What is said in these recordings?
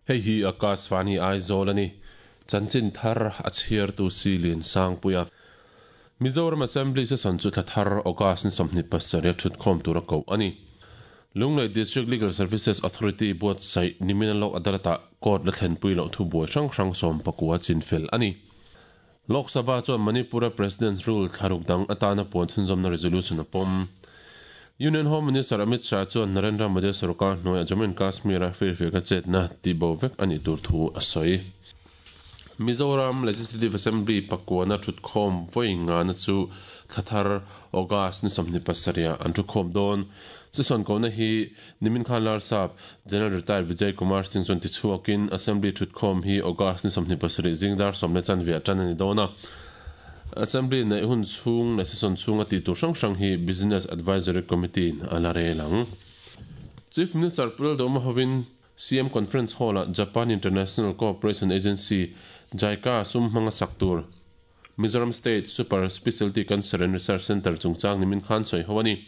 Hei hi Akashvani Aizawl a ni. Chanchin thar a chhiartu si Liansangpuia. Mizoram Assembly Session chu thla thar August ni 27 a thutkhawm tura koh a ni. Lunglei District Legal Services Authority buatsaih nimina Lok Adalat-ah court la thlenpui loh thubuai hrang hrang 19 chinfel a ni. Lok Sabha chuan Manipur-a President's Rule thlaruk dang atana puan chhunzawmna resolution a pawm. Union Home Minister Amit Shah chuan Narendra Modi sorkar hnuaiah Jammu and Kashmir-a firfiakna chetna tihbo vek a nih tur thu a sawi. Mizoram Legislative Assembly pakuana thutkhawm vawi ngana chu thla thar August ni 27 ah an thukhawm dawn. Session kohna hi nimin khan Larsap General Retired Vijay Kumar Singh chuan tichhuakin Assembly thutkhawm hi August ni 27 zingdar 10:15 tan a ni dawn a. Assembly neih hun chhung leh session chhunga tih tur hrang hrang hi Business Advisory Committee in a la rel ang. Chief Minister Pu Lalduhoma hovin CM Conference Hall-ah Japan International Cooperation Agency, JICA, sum hmanga sak tur Mizoram State Super Specialty Cancer and Research Centre chungchang nimin khan sawi ho a ni.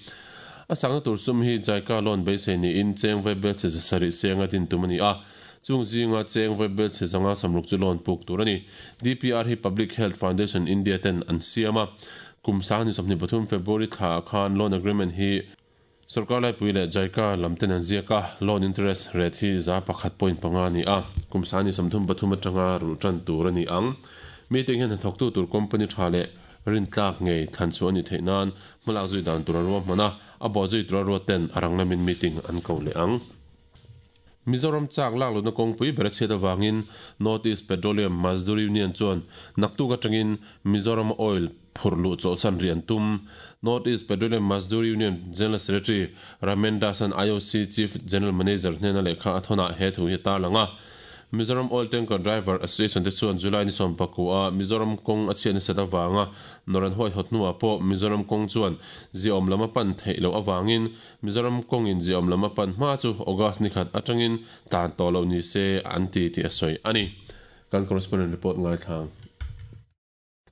A sakna tur sum hi JICA loan beisei niin cheng vaibel chhe 700 senga din tum a ni a, chung zinga cheng vaibel chhe 560 chu loan puk tur a ni. DPR hi Public Health Foundation India ten an siam a, kum 2023 February thlaah khan loan agreement hi Sorkar laipui leh JICA lam ten an ziak a, loan interest rate hi 1.5 a ni a, kum 2033 atanga rulh tan tur a ni ang. Meeting hian hnathawktu tur company tha leh rintlak ngei thlan chhuah a nih theih nan hmalak zui dan tur a ruahman a, a bawh zui tura ruat ten a rang lamin meeting an ko leh ang. Mizoram chak lak lohna kawngpui ber a chhiat avangin North East Petroleum Mazdoor Union chuan naktuk atangin Mizoram oil phurh luh chawlhsan rih an tum. North East Petroleum Mazdoor Union General Secretary Ramen Das-a'n IOC Chief General Manager hnena lehkha a thawnah he thu hi a tarlang a. Mizoram Oil Tanker Driver Association te chuan July ni 19 a Mizoram kawng a chhiat nasat avanga nawr an huaihawt hnuah pawh Mizoram kawng chuan ziaawm lam a pan theih loh avangin Mizoram kawngin ziaawm lam a pan hma chu August ni khat atangin tlan tawh loh ni se an ti tih a sawi a ni. Kan correspondent report ngaithlang.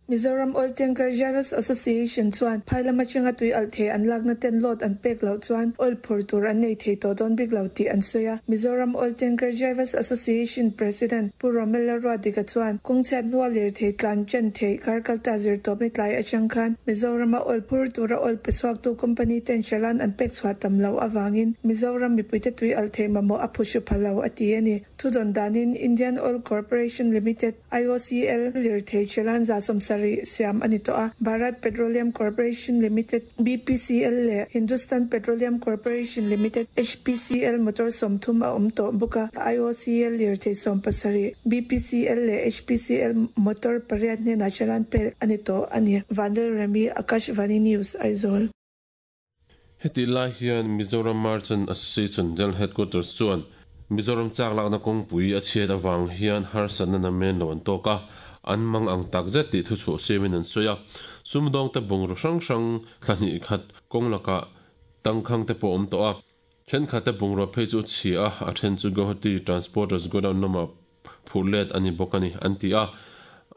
Mizoram Oil Tanker Drivers Association chuan phai lam atanga tui alh thei an lakna ten load an pek loh chuan oil phur tur an nei thei tawh dawn bik lo tih an sawi a. Mizoram Oil Tanker Drivers Association President Pu Romela Ruatdika chuan kawngchhiat hnua lirthei tlan chen theih kar kalta zirtawpni tlai atang khan Mizorama oil phur tura oil pe chhuaktu company ten challan an pek chhuah tam loh avangin Mizoram mipuite tui alh theih mamawh a phu hru pha lo a ti a ni. Thudawn danin Indian Oil Corporation Limited, IOCL, lirthei challan 70 siam a ni tawh a, Bharat Petroleum Corporation Limited, BPCL, leh Hindustan Petroleum Corporation Limited, HPCL, motor 30 a awm tawh bawk a, IOCL lirthei 17, BPCL leh HPCL motor pariat hnenah challan pek a ni tawh a ni. Vanlalremi, Akashvani News, Aizawl. Hetih lai hian Mizoram Merchant Association General Headquarters chuan Mizoram chak lakna kawngpui a chhiat avang hian harsatna namen lo an tawk a, an mang ang takzet tih thuchhuah siamin an sawi a. Sumdawngte bungraw hrang hrang thla hnih khat kawng lakah tangkhang te pawh awm tawh a. Thenkhatte bungraw phei chu chhia a, a then chu Guwahati Transporters Godown lamah phurh let a ni bawk a ni, an ti a.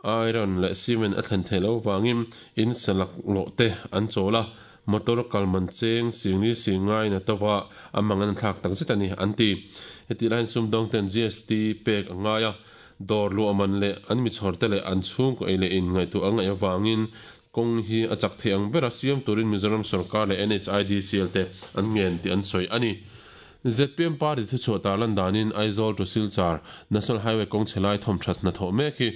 Iron leh cement a thlen theih loh avangin in sa laklawh te an chawl a, motor kal man cheng singli sing ngaiin a to va, a mang an thlak tak zet a ni, an ti. Hetih laiin sumdawngten GST pek a ngai a, dawr luah man leh an mi chhawrte leh an chhungkaw ei leh in ngaihtuah a ngaih avangin kawng hi a chak thei ang bera siam turin Mizoram sorkar leh NHIDCL te an ngen tih an sawi a ni. Zpm party thuchhuah tarlan danin Aizawl to Silchar National Highway kawng chhe lai thawmthat hnathawh mek hi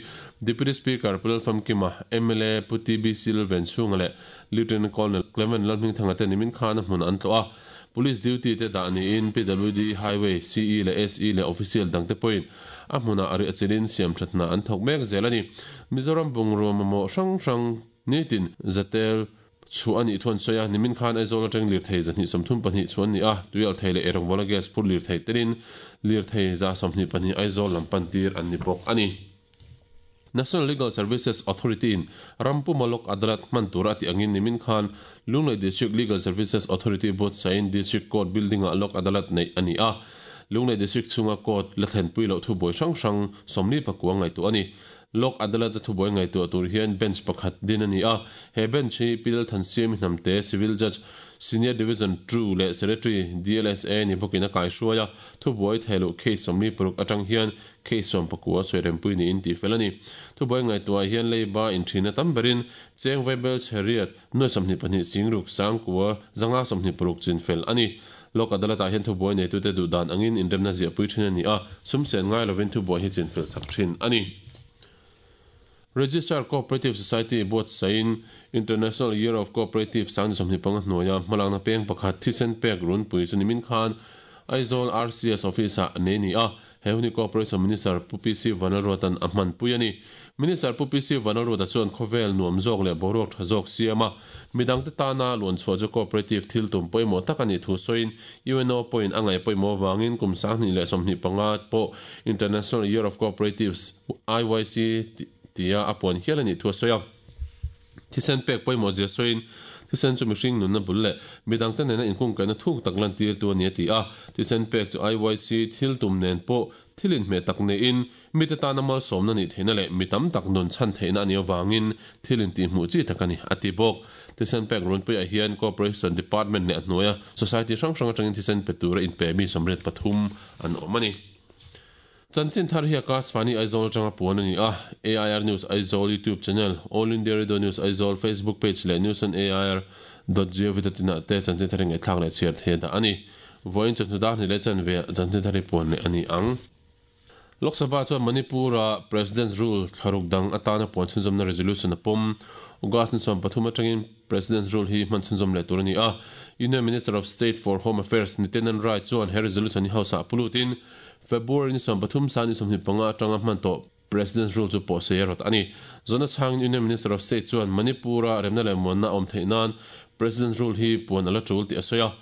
Deputy Speaker Pu Lalfamkima, mla Pu TBC Lalvenchhunga leh Lieutenant Colonel Clement Lalhmingthanga te nimin khan a hmun an tlawh a. Police duty te dah niin PWD, Highway, CE leh SE leh official dangte pawhin a hmunah a riahchilhin siamthat hna an thawk mek zel a ni. Mizoram bungrua mamawh hrang hrang nitin zatel Chhuah a nih thu an sawi a, nimin khan Aizawl atang lirthei 134 chhuah an ni a, tuialthei leh eirawngbawl gas phur lirthei telin lirthei 124 Aizawl lam pan tir an ni bawk a ni. National Legal Services Authority in ram puma Lok Adalat hman tura a tih angin nimin khan Lunglei District Legal Services Authority buatsaihin District Court Building-ah Lok Adalat neih a ni a, Lunglei District chhunga Court la thlenpui loh thubuai hrang hrang 49 ngaihtuah a ni. Lok Adalat-a thubuai ngaihtuah tur hian bench pakhat din a ni a, he bench hi Pi Lalthansiami Hnamte, Civil Judge, Senior Division ii leh Secretary, DLSA ni bawkin a kaihruai a, thubuai theiluh case 46 atang hian case 19 sawi rempui niin tih fel a ni. Thubuai ngaihtuah hian leiba inthina tam berin cheng vaibel chheriat nuai 22 singruk sangkua zanga 26 chin fel a ni. Lok Adalat-ah hian thubuai neitute duh dan angin inremna ziahpui thin a ni a, sum sen ngai lovin thubuai hi chin fel sak thin a ni. Registrar Cooperative Society buatsaihin International Year of Cooperative 2025 hnuaia hmalakna peng pakhat thisen pek runpui chu nimin khan Aizawl RCS Office-ah nei ni a, he hun hi Cooperation Minister Pu PC Vanlalruata'n a hmanpui a ni. Minister Pu PC Vanlalruata chuan khawvel nuam zawk leh boruak tha zawk siam a, midangte tana luanchhuah chu cooperative thil tum pawimawh tak a nih thu sawiin UNO pawhin a ngaih pawimawh avangin kum 2025 pawh International Year of Cooperatives IYC tia a puan hial a nih thu a sawi a. Thisen pek pawimawh zia sawiin, thisen chu mihring nunna bul leh midangte nena inkungkaihna thuk tak lantirtu a ni a ti a. Thisen pek chu IYC thil tum nen pawh thil inhmeh tak neiin, mite tana malsawmna nih theihna leh mi tam tak nun chhan theihna a nih avangin thil intihhmuh chi tak a ni, a ti bawk. Thisen pek runpuiah hian Cooperation Department leh a hnuaia Society hrang hrang atangin thisen pe tura inpe mi 83 an awm a ni. Chanchin thar hi Akashvani Aizawl atanga puan a ni a, AIR News Aizawl YouTube channel, All India Radio News Aizawl Facebook page leh News on AIR dot gov dot in ah te chanchin thar hi ngaihthlak leh chhiar thei a dah a ni. Vawiin chawhnu dar hnih leh chanve ah chanchin thar hi puan leh a ni ang. Lok Sabha chuan Manipur-a President's Rule thlaruk dang atana puan chhunzawmna resolution a pawm. August ni 13 atangin President's Rule hi hman chhunzawm leh tur a ni a. Union Minister of State for Home Affairs Nityanand Rai chuan he resolution hi House-ah pulutin February ni 13 san ni 25 atanga hman tawh President's Rule chu pawh sei a rawt a ni. Zawhna chhangin Union Minister of State chuan Manipur-a remna leh muanna a awm theih nan President's Rule hi puan a la tul tih a sawi a.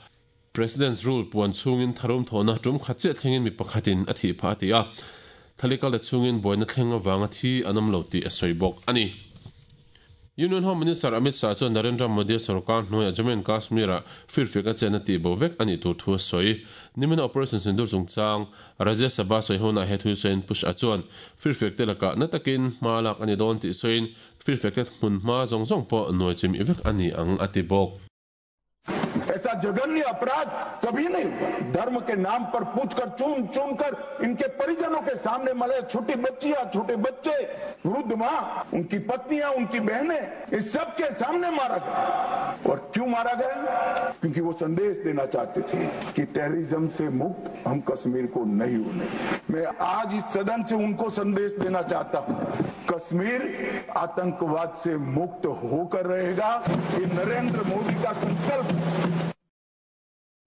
President's Rule puan chhungin tharum thawhna tum khat chiah thlengin mi pakhatin a thih phah a ti a. Thalikal te chhungin buaina thleng avanga thi an awm lo tih a sawi bawk a ni. Union Home Minister Amit Shah chuan Narendra Modi-a sorkar hnuaiah Jammu and Kashmir-ah firfiak a chenna tih bo vek a nih tur thu a sawi. Nimina Operation Sindoor chungchang Rajya Sabha sawi hunah he thu sawiin Pu Shah chuan firfiak te lakah na takin hma lak a ni dawn tih sawiin firfiak te hmun hma zawng zawng pawh nuai chimih vek a ni ang a ti bawk. ऐसा जघन्य अपराध कभी नहीं हुआ धर्म के नाम पर पूछकर चुन चुनकर इनके परिजनों के सामने मरे छोटी बच्चियां छोटे बच्चे वृद्ध माँ उनकी पत्नियां उनकी बहनें इस सब के सामने मारा गया और क्यों मारा गया क्योंकि वो संदेश देना चाहते थे कि टेररिज्म से मुक्त हम कश्मीर को नहीं होने मैं आज इस सदन से उनको संदेश देना चाहता हूं कश्मीर आतंकवाद से मुक्त होकर रहेगा ये नरेंद्र मोदी का संकल्प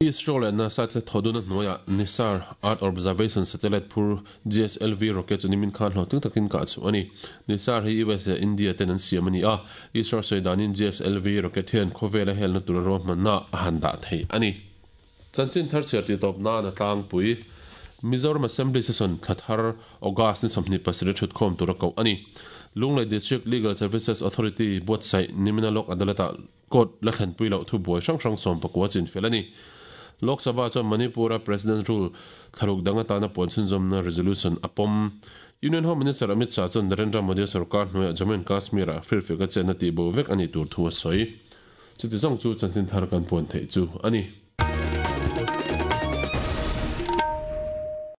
ISRO leh NASA te thawduna hnuaiah NISAR Earth Observation Satellite phur GSLV rocket chu nimin khan hlawhtling takin kah chhuah a ni. NISAR hi US leh India ten an siam a ni a, ISRO sawi danin GSLV rocket hian khawvela helna tura ruahmanna a han dah thei a ni. Chanchin thar chhiar tih tawp nan a tlangpui Mizoram Assembly Session thla thar August ni 27 thutkhawm tura koh a ni. Lunglei District Legal Services Authority buatsaih nimina Lok Adalat-ah Court la thlenpui loh thubuai hrang hrang 19 chin fel a ni. Lok Sabha chuan Manipur-a President's Rule thlaruk dang atana puan chhunzawmna resolution a pawm. Union Home Minister Amit Shah chuan Narendra Modi sorkar hnuaiah Jammu and Kashmir-ah firfiak a chenna tih bo vek a nih tur thu a sawi. Chuti zawng chu chanchin thar kan puan theih chu a ni.